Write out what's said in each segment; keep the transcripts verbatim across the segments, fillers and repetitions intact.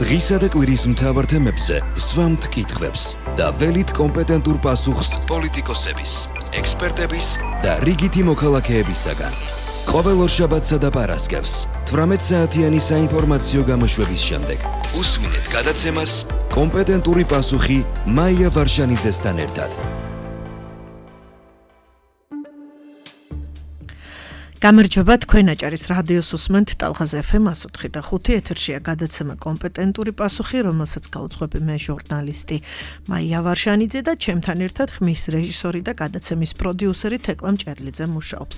დღისა და კვირის მთავარ თემებზე სვამთ კითხვებს და ველით კომპეტენტურ პასუხს პოლიტიკოსების, ექსპერტების და რიგითი მოქალაქეებისაგან. ყოველ ორშაბათსა და პარასკევს თვრამეტ საათიანი საინფორმაციო გამოშვების შემდეგ უსმინეთ გადაცემას კომპეტენტური პასუხი მაია ვარშანიძესთან ერთად. გამარჯობა, თქვენ აჭარის რადიოს უსმენთ ტალღაზ ეფ ემ one oh three point five ეთერშია გადაცემა კომპეტენტური პასუხი, რომელსაც გაუძღვები მე ჟურნალისტი მაია ვარშანიძე და ჩემთან ერთად ხმის რეჟისორი და გადაცემის პროდიუსერი თეკლა მჭერლიძე მუშაობს.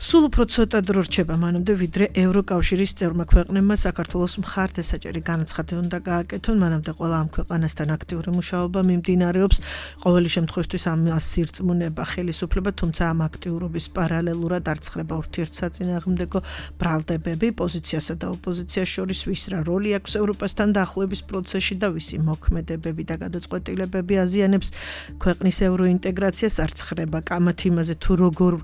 სულ უფრო ცოტა დრო რჩება მანამდე, ვიდრე ევროკავშირის წევრმა ქვეყნებმა საქართველოს მხარდასაჭერი განაცხადი უნდა გააკეთონ, მანამდე ყველა ამ ქვეყანასთან აქტიური მუშაობა მიმდინარეობს. ყოველი შემთხვევისთვის ამას სირწმუნება ხელისუფლება, თუმცა ამ აქტიურობის პარალელურად არ ცხრება ურთიერთსაწინააღმდეგო ბრალდებები, პოზიციასა და ოპოზიციას შორის ვის რა როლი აქვს ევროპასთან დაახლოების პროცესში და ვისი მოქმედებები და გადაწყვეტილებები აზიანებს ქვეყნის ევროინტეგრაციას, არ ცხრება კამათ იმაზე თუ როგორ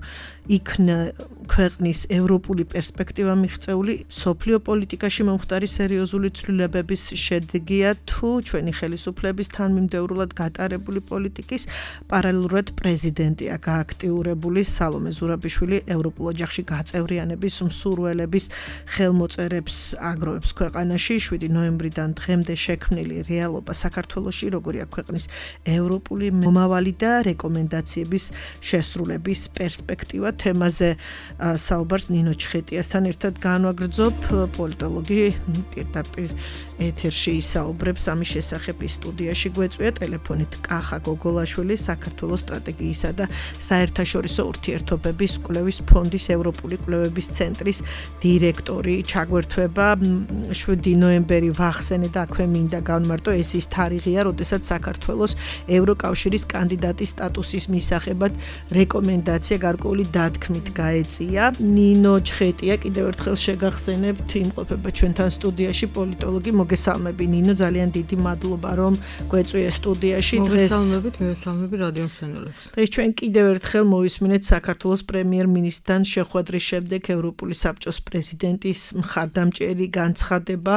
იქნა ქვეყნის ევროპული პერსპექტივა მიღწეული, სოფლიო პოლიტიკაში მომხდარი სერიოზული ცვლილებების შედეგია თუ ჩვენი ხელისუფლების თანმიმდევრულად გატარებული პოლიტიკის, პარალელურად პრეზიდენტია გააქტიურებული სალომე ზურაბიშვილი ევროპულ ოჯახში გაწევრიანების მსურველების ხელმოწერებს აგროვებს ქვეყანაში. შვიდი ნოემბრიდან დღემდე შექმნილი რეალობა საქართველოში როგორია ქვეყნის ევროპული მომავალი და რეკომენდაციების შესრულების პერსპექტივა თემაზე საუბარს ნინო ჩხეტიასთან ერთად განვაგრძობ. პოლიტოლოგი პირდაპირ ეთერში ისაუბრებს ამის შესახებ. სტუდიაში გვეწვია ტელეფონით კახა გოგოლაშვილი, საქართველოს სტრატეგიისა და საერთაშორისო ურთიერთობების კვლევის ფონდის ევროპული კვლევების ცენტრის დირექტორი. ჩაგვერთვება შვიდი ნოემბერი ვახსენე და აქვე მინდა განმარტო, ეს ის თარიღია, როდესაც საქართველოს ევროკავშირის კანდიდატის სტატუსის მისაღებად რეკომენდაცია გარკვეული დათქმით გაეწია. ნინო ჩხეტია, კიდევ ერთხელ შეგახსენებთ, იმყოფება ჩვენთან სტუდიაში პოლიტოლოგი. მოგესალმები ნინო, ძალიან დიდი მადლობა რომ გვეწვია სტუდიაში დღეს. მოგესალმებით, მოგესალმები რადიო მსმენელებს. დღეს ჩვენ კიდევ ერთხელ მოვისმინეთ საქართველოს პრემიერ-მინისტრთან შეხვედრის შემდეგ ევროპული საბჭოს პრეზიდენტის მხარდამჭერი განცხადება.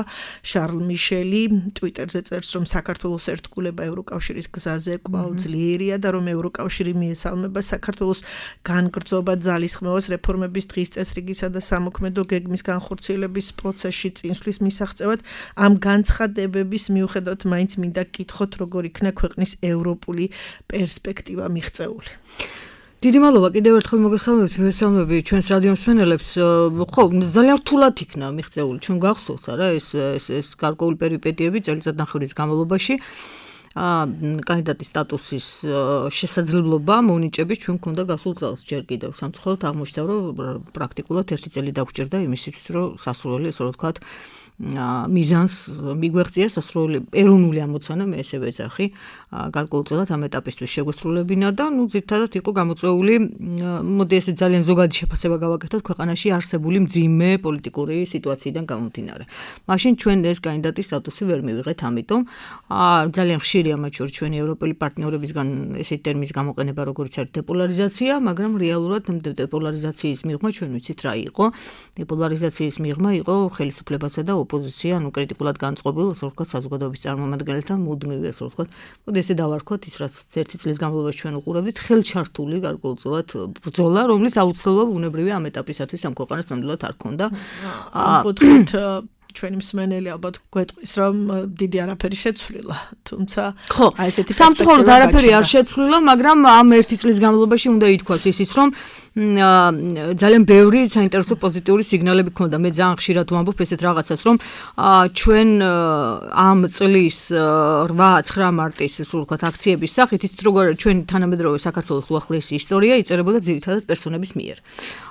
შარლ მიშელი ტვიტერზე წერს, რომ საქართველოს ერთგულება ევროკავშირის გზაზე კვლავ ძლიერია და რომ ევროკავშირი მიესალმება საქართველოს განგრძობა ძალისხმევას რეფორმების დღის წესრიგისა და სამოქმედო გეგმის განხორციელების პროცესში წინსვლის მისაღწევად. ამ განცხადებების მიუხედავად მაინც მინდა გკითხოთ, როგორ იქნა ქვეყნის ევროპული პერსპექტივა მიღწეული. დიდი მადლობა კიდევ ერთხელ მოგესალმებით, მოგესალმები ჩვენს რადიო მსმენელებს. ხო, ძალიან რთულად იქნა მიღწეული, ჩვენ გახსოვთ არა ეს ეს ეს გარკვეული პერიპეტიები წელიწადნახევრის განმავლობაში. კანდიდატის სტატუსის შესაძლებლობა მონიჭების ჩვენ გვქონდა გასულ წელს ჯერ კიდევ. სამწუხაროდ აღმოჩნდა, რომ პრაქტიკულად ერთი წელი დაგვჭირდა იმისათვის, რომ სასურველი, ასე რომ ვთქვათ, მიზანს მიგვეღწია სასურველი ეროვნული ამოცანა, მე ესე ვეძახი, გარკვეულწილად ამ ეტაპისთვის შეგვესრულებინა და ნუ ძირითადად იყო გამოწვეული, მოდი ესე ძალიან ზოგადი შეფასება გავაკეთოთ ქვეყანაში არსებული მძიმე პოლიტიკური სიტუაციიდან გამომდინარე. მაშინ ჩვენ ეს კანდიდატის სტატუსი ვერ მივიღეთ, ამიტომ ძალიან ხშირია მათ შორის ჩვენი ევროპელი პარტნიორებისგან ესეთი ტერმინის გამოყენება, როგორც არის დეპოლარიზაცია, მაგრამ რეალურად დეპოლარიზაციის მიღმა ჩვენ ვიცით რა იყო. დეპოლარიზაციის მიღმა იყო ხელისუფლებასა და ოპოზიცია, ანუ კრიტიკულად განწყობილ, ასე ვთქვათ, საზოგადოების წარმომადგენელთა მუდმივი, ასე ვთქვათ, მოდი ესე დავარქვათ ის, რაც ერთი წლის განმავლობაში ჩვენ უყურებდით, ხელჩართული გარკვეულწილად ბრძოლა, რომლის აუცილებლობა ბუნებრივია ამ ეტაპისათვის ამ ქვეყანას ნამდვილად არ ქონდა. ამ კუთხით ჩვენი მსმენელი ალბათ გვეტყვის, რომ დიდი არაფერი შეცვლილა, თუმცა აი ესეთი სამწუხაროდ არაფერი არ შეცვლილა, მაგრამ ამ ერთი წლის განმავლობაში უნდა ითქვას ისიც, რომ ძალიან ბევრი საინტერესო პოზიტიური სიგნალები ქონდა. მე ძალიან ხშირად ვამბობ ესეთ რაღაცას, რომ ჩვენ ამ წლის რვა ცხრა მარტის სულ ვთქვათ აქციების სახით, ის როგორ ჩვენი თანამედროვე საქართველოს უახლოესი ისტორია იწერებოდა ძირითადად პერსონების მიერ.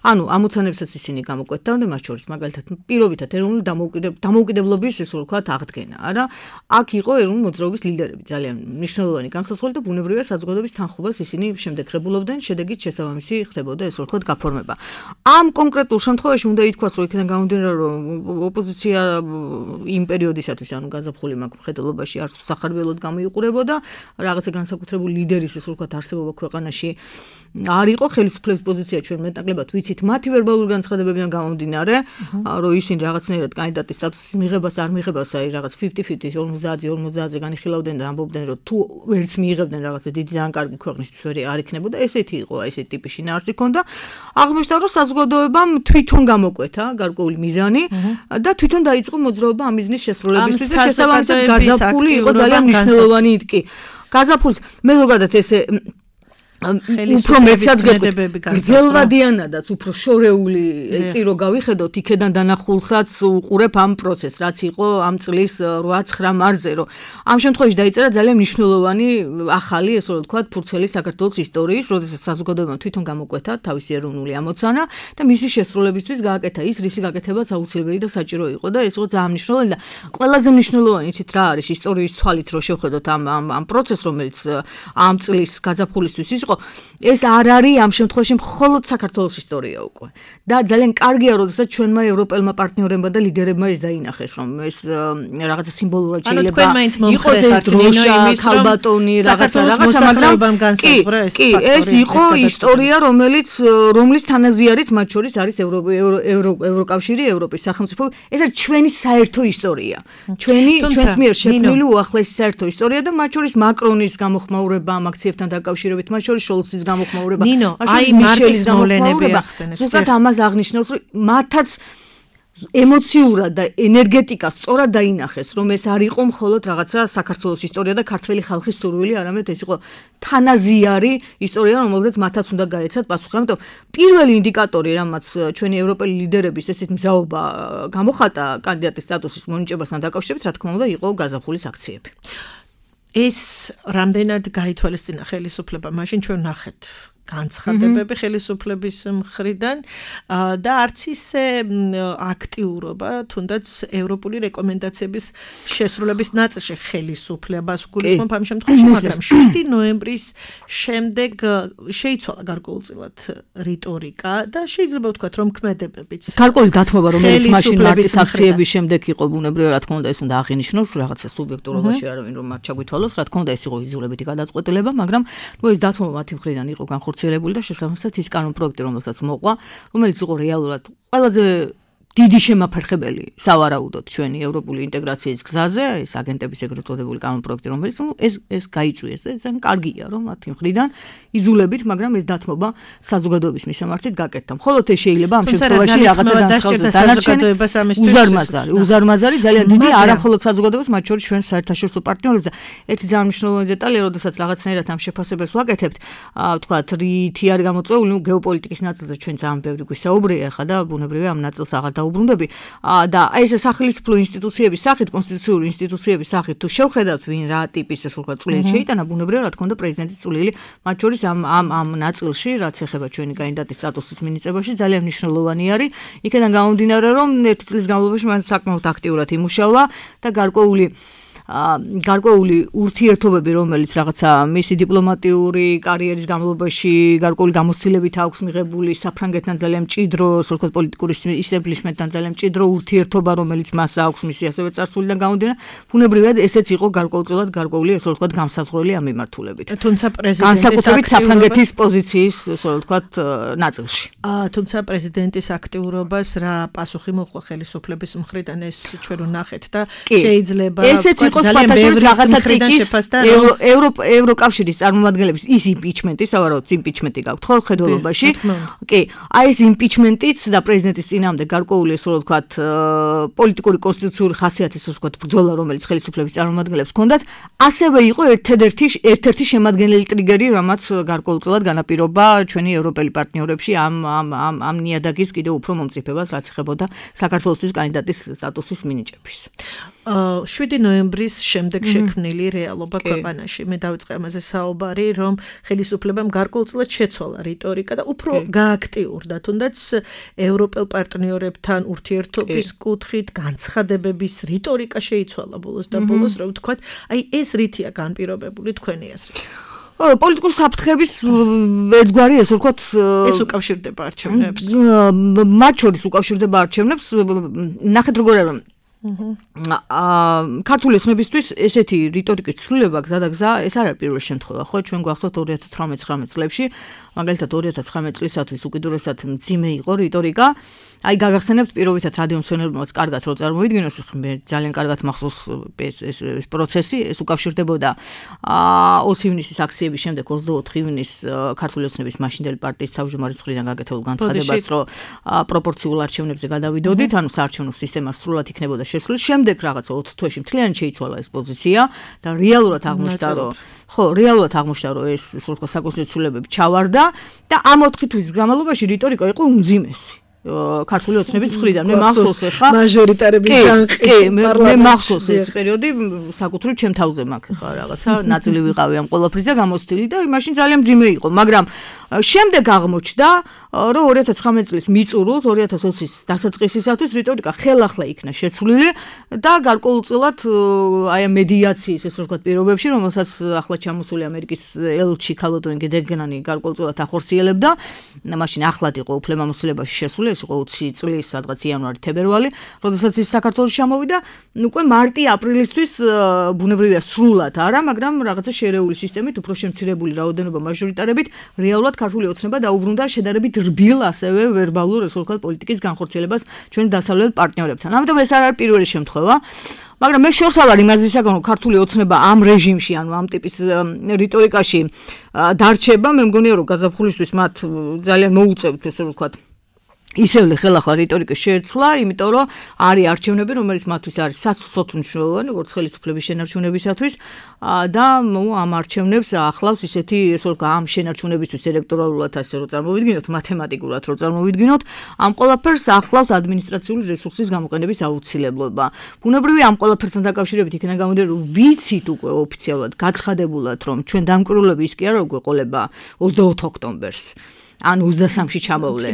ანუ ამოცანებსაც ისინი გამოკვეთდნენ, მათ შორის მაგალითად პირობითად ეროვნული დამოუკიდებლობის, ესე ვთქვათ, აღდგენა, არა? აქ იყო ეროვნული მოძრაობის ლიდერები, ძალიან მნიშვნელოვანი განსაცდელი და ბუნებრივია საზოგადოების თანხმობას ისინი შემდეგ ხებულობდნენ, შედეგით შესაბამისი ხდებოდა, ესე ასე ვთქვათ, გაფორმება. ამ კონკრეტულ შემთხვევაში უნდა ითქვას, რომ იქიდან გამომდინარე, რომ ოპოზიცია იმ პერიოდისათვის, ანუ გაზაფხული მაგ მხედველობაში არც სახარბელოდ გამოიყურებოდა, რაღაცა განსაკუთრებული ლიდერის ასე ვთქვათ არსებობა ქვეყანაში არ იყო, ხელისუფლების პოზიცია ჩვენ მეტნაკლებად ვიცით მათი ვერბალური განცხადებებიდან გამომდინარე, რომ ისინი რაღაცნაირად კანდიდატის სტატუსის მიღებას არ მიღებას, აი რაღაც ოცდაათი ოცდაათი ორმოცდაათზე განიხილავდნენ და ამბობდნენ, რომ თუ ვერც მიიღებდნენ რაღაცა დიდი და კარგი ქვეყნისთვის ვერ არ იქნებოდა, ესეთი იყო, აი ესეთი ტიპის შინაარსი ქონდა. აღმოჩნდა, რომ საზოგადოებამ თვითონ გამოკვეთა გარკვეული მიზანი და თვითონ დაიწყო მოძრაობა ამ მიზნის შესრულებისთვის და შესაბამისად გაზაფხული იყო ძალიან მნიშვნელოვანი იტკი. გაზაფხულს მე ზოგადად ესე უფრო მეცად გრძელვადიანადაც უფრო შორეული წირო გავიხედოთ იქედან დანახულსაც უყურებ ამ პროცესს რაც იყო ამ წლის რვა ცხრა მარზე რომ ამ შემთხვევაში დაიწერა ძალიან მნიშვნელოვანი ახალი ესე რომ ვთქვათ ფურცელი საქართველოს ისტორიის როდესაც საზოგადოებამ თვითონ გამოკვეთა თავისი ეროვნული ამოცანა და მისი შესრულებისთვის გააკეთა ის რისი გაკეთებაც აუცილებელი და საჭირო იყო და ეს იყო ძალიან მნიშვნელოვანი და ყველაზე მნიშვნელოვანი იცით რა არის ისტორიის თვალით რომ შევხედოთ ამ ამ პროცესს რომელიც ამ წლის გაზაფხულისთვის ის ეს არ არის ამ შემთხვევაში მხოლოდ საქართველოს ისტორია უკვე. და ძალიან კარგია, როდესაც ჩვენმა ევროპელმა პარტნიორებმა და ლიდერებმა ეს დაინახეს, რომ ეს რაღაცა სიმბოლურად შეიძლება იყოს ეს დროშა, ქალბატონი, რაღაცა რაღაცა, მაგრამ კი, ეს იყო ისტორია, რომელიც რომლის თანაზიარიც მათ შორის არის ევროკავშირი, ევროპის სახელმწიფო. ეს არის ჩვენი საერთო ისტორია. ჩვენი ჩვენს მიერ შექმნილი უახლესი საერთო ისტორია და მათ შორის მაკრონის გამოხმაურება ამ აქციებთან დაკავშირებით, მათ შორის ის გამოხმაურება. ნინო, აი მარტის მოვლენები ახსენეთ. ზუსტად ამას აღნიშნავს, რომ მათაც ემოციურად და ენერგეტიკას სწორად დაინახეს, რომ ეს არ იყო მხოლოდ რაღაცა საქართველოს ისტორია და ქართველი ხალხის სურვილი, არამედ ეს იყო თანაზიარი ისტორია, რომელზეც მათაც უნდა გაეცათ პასუხი. ამიტომ პირველი ინდიკატორი, რამაც ჩვენი ევროპელი ლიდერების ესეთ მზაობა გამოხატა კანდიდატის სტატუსის მონიჭებასთან დაკავშირებით, რა თქმა უნდა, იყო გაზაფხულის აქციები. ეს რამდენად გაითვალისწინა ხელისუფლება, მაშინ ჩვენ ნახეთ განცხადებები ხელისუფლების მხრიდან და არც ისე აქტიურობა, თუნდაც ევროპული რეკომენდაციების შესრულების ნაწილში ხელისუფლებას გულისხმობ ამ შემთხვევაში, მაგრამ შვიდი ნოემბრის შემდეგ შეიცვალა გარკვეულწილად რიტორიკა და შეიძლება ვთქვათ, რომ ქმედებებიც. გარკვეული დათმობა, რომელიც მაშინ მარტის აქციების შემდეგ იყო, ბუნებრივია, რა თქმა უნდა, ეს უნდა აღინიშნოს, რაღაცა სუბიექტურობაში არავინ რომ არ ჩაგვითვალოს, რა თქმა უნდა, ეს იყო ვიზუალებითი გადაწყვეტილება, მაგრამ ნუ ეს დათმობა მათი მხრიდან იყო განხორციელებული და შესაბამისად ის კანონ პროექტი, რომელსაც მოყვა, რომელიც იყო რეალურად ყველაზე დიდი შემაფერხებელი სავარაუდოდ ჩვენი ევროპული ინტეგრაციის გზაზე, ეს აგენტების ეგრეთ წოდებული კანონ პროექტი, რომელიც ნუ ეს ეს გაიწვიეს და ძალიან კარგია, რომ მათი მხრიდან იზულებით, მაგრამ ეს დათმობა საზოგადოების მისამართით გაკეთდა. მხოლოდ ეს შეიძლება ამ შემთხვევაში რაღაცა განსხვავდეს საზოგადოებას ამისთვის უზარმაზარი, უზარმაზარი ძალიან დიდი, არა მხოლოდ საზოგადოებას, მათ შორის ჩვენ საერთაშორისო პარტნიორებს და ერთი ძალიან მნიშვნელოვანი დეტალია, როდესაც რაღაცნაირად ამ შეფასებებს ვაკეთებთ, ვთქვათ, რითი არის გამოწვეული, ნუ გეოპოლიტიკის ნაწილზე ჩვენ ძალიან ბევრი გვისაუბრია ხა და ბუნებრივია ამ ნაწილს აღარ დაუბრუნდები და ეს სახელმწიფო ინსტიტუციების სახით, კონსტიტუციური ინსტიტუციების სახით თუ შევხედავთ ვინ რა ტიპის ეს ვთქვათ წვლილი შეიტანა, ბუნებრივია რა თქმა უნდა პრეზიდენტის წვლილი მათ შორის ამ ამ ამ ნაწილში, რაც ეხება ჩვენი კანდიდატის სტატუსის მინიჭებაში, ძალიან მნიშვნელოვანი არის. იქიდან გამომდინარე, რომ ერთი წლის განმავლობაში მან საკმაოდ აქტიურად იმუშავა და გარკვეული გარკვეული ურთიერთობები, რომელიც რაღაცა მისი დიპლომატიური კარიერის განმავლობაში გარკვეული გამოცდილებით აქვს მიღებული საფრანგეთთან ძალიან მჭიდრო, ასე ვთქვათ, პოლიტიკური ისტაბლიშმენტთან ძალიან მჭიდრო ურთიერთობა, რომელიც მას აქვს მისი ასევე წარსულიდან გამომდინარე, ბუნებრივად ესეც იყო გარკვეულწილად გარკვეული, ასე ვთქვათ, გამსაზღვრელი ამ მიმართულებით. თუმცა პრეზიდენტის განსაკუთრებით საფრანგეთის პოზიციის, ასე ვთქვათ, ნაწილში. თუმცა პრეზიდენტის აქტიურობას რა პასუხი მოხდა ხელისუფლების მხრიდან, ეს ჩვენ ვნახეთ და შეიძლება ძალიან ბევრი რაღაცა ტრიკის ევროკავშირის წარმომადგენლების ის იმპიჩმენტი, სავარაუდოდ იმპიჩმენტი გაქვთ ხო ხედველობაში. კი, აი ეს იმპიჩმენტიც და პრეზიდენტის წინააღმდეგ გარკვეული ესე ვთქვათ პოლიტიკური კონსტიტუციური ხასიათის ასე ვთქვათ ბრძოლა, რომელიც ხელისუფლების წარმომადგენლებს ჰქონდათ, ასევე იყო ერთ-ერთი ერთ-ერთი შემადგენელი ტრიგერი, რამაც გარკვეულწილად განაპირობა ჩვენი ევროპელი პარტნიორებში ამ ამ ამ ამ ნიადაგის კიდევ უფრო მომწიფებას, რაც ეხებოდა საქართველოსთვის კანდიდატის სტატუსის მინიჭების. შვიდი ნოემბრის შემდეგ შექმნილი რეალობა ქვეყანაში. მე დავიწყე ამაზე საუბარი, რომ ხელისუფლებამ გარკვეულწილად შეცვალა რიტორიკა და უფრო გააქტიურდა, თუნდაც ევროპელ პარტნიორებთან ურთიერთობის კუთხით, განცხადებების რიტორიკა შეიცვალა ბოლოს და ბოლოს, რომ ვთქვათ, აი ეს რითია განპირობებული თქვენი აზრით. პოლიტიკური საფრთხების ერთგვარი ეს ვთქვათ ეს უკავშირდება არჩევნებს. მათ შორის უკავშირდება არჩევნებს. ნახეთ როგორ არის აა ქართული ოცნებისთვის ესეთი რიტორიკის ცვლილება გზა და გზა ეს არ არის პირველი შემთხვევა, ხო? ჩვენ გვახსოვთ ორი ათას თვრამეტ ცხრამეტ წლებში, მაგალითად ორი ათას ცხრამეტ წლისათვის უკიდურესად მძიმე იყო რიტორიკა. აი გაგახსენებთ პირობითად რადიო მსმენელებმაც კარგად რო წარმოვიდგინოს, მე ძალიან კარგად მახსოვს ეს ეს ეს პროცესი, ეს უკავშირდებოდა აა ოცი ივნისის აქციების შემდეგ ოცდაოთხი ივნისს ქართული ოცნების მაშინდელი პარტიის თავმჯდომარის მხრიდან გაკეთებულ განცხადებას, რომ პროპორციულ არჩევნებზე გადავიდოდით, ანუ საარჩევნო სისტემა სრულად იქნებოდა შესული. შემდეგ რაღაცა ოთხ თვეში მთლიანად შეიცვალა ეს პოზიცია და რეალურად აღმოჩნდა, რომ ხო, რეალურად აღმოჩნდა, რომ ეს ისე ვთქვათ საკონსტიტუციო ცვლილებები ჩავარდა და ამ ოთხი თვის განმავლობაში რიტორიკა იყო უმძიმესი. ქართული ოცნების მხრიდან მე მახსოვს ხა მაჟორიტარების ჟანყი მე მახსოვს ეს პერიოდი საკუთრივ ჩემ თავზე მაქვს ხა რაღაცა ნაწილი ვიყავი ამ ყველაფრის და გამოცდილი და მაშინ ძალიან მძიმე იყო, მაგრამ შემდეგ აღმოჩნდა, რომ ორი ათას ცხრამეტ წლის მიწურულს ორი ათას ოცის დასაწყისისათვის რიტორიკა ხელახლა იქნა შეცვლილი და გარკვეულწილად აი ამ მედიაციის ეს ვთქვათ პირობებში, რომელსაც ახლა ჩამოსული ამერიკის ელჩი ქალბატონი გეგენანი გარკვეულწილად ახორციელებდა, მაშინ ახლად იყო უფლებამოსილებაში შესული, ეს იყო ოცი წლის სადღაც იანვარი თებერვალი, როდესაც ის საქართველოში ჩამოვიდა, უკვე მარტი-აპრილისთვის ბუნებრივია სრულად არა, მაგრამ რაღაცა შერეული სისტემით, უფრო შემცირებული რაოდენობა მაჟორიტარებით რეალურად ქართული ოცნება დაუბრუნდა შედარებით რბილ ასევე ვერბალურ ეს ვთქვათ პოლიტიკის განხორციელებას ჩვენ დასავლელ პარტნიორებთან. ამიტომ ეს არ არის პირველი შემთხვევა. მაგრამ მე შორს არ იმაზისაგან რომ ქართული ოცნება ამ რეჟიმში, ანუ ამ ტიპის რიტორიკაში დარჩება, მე მგონია რომ გაზაფხულისთვის მათ ძალიან მოუწევთ ესე ვთქვათ ისევ ხელახლა რიტორიკის შეცვლა, იმიტომ რომ არის არჩევნები, რომელიც მათთვის არის სასწრაფოდ მნიშვნელოვანი, როგორც ხელისუფლების შენარჩუნებისათვის და ამ არჩევნებს ახლავს ისეთი, ესე ვთქვათ, ამ შენარჩუნებისთვის ელექტორალურად ასე რომ წარმოვიდგინოთ, მათემატიკურად რომ წარმოვიდგინოთ, ამ ყველაფერს ახლავს ადმინისტრაციული რესურსის გამოყენების აუცილებლობა. ბუნებრივია ამ ყველაფერთან დაკავშირებით იქნება გამოდიოდა, რომ ვიცით უკვე ოფიციალურად გაცხადებულად, რომ ჩვენ დამკვირვებლები ის კი არა რომ გვეყოლება ოცდაოთხ ოქტომბერს. ან ოცდასამში ჩამოვლენ.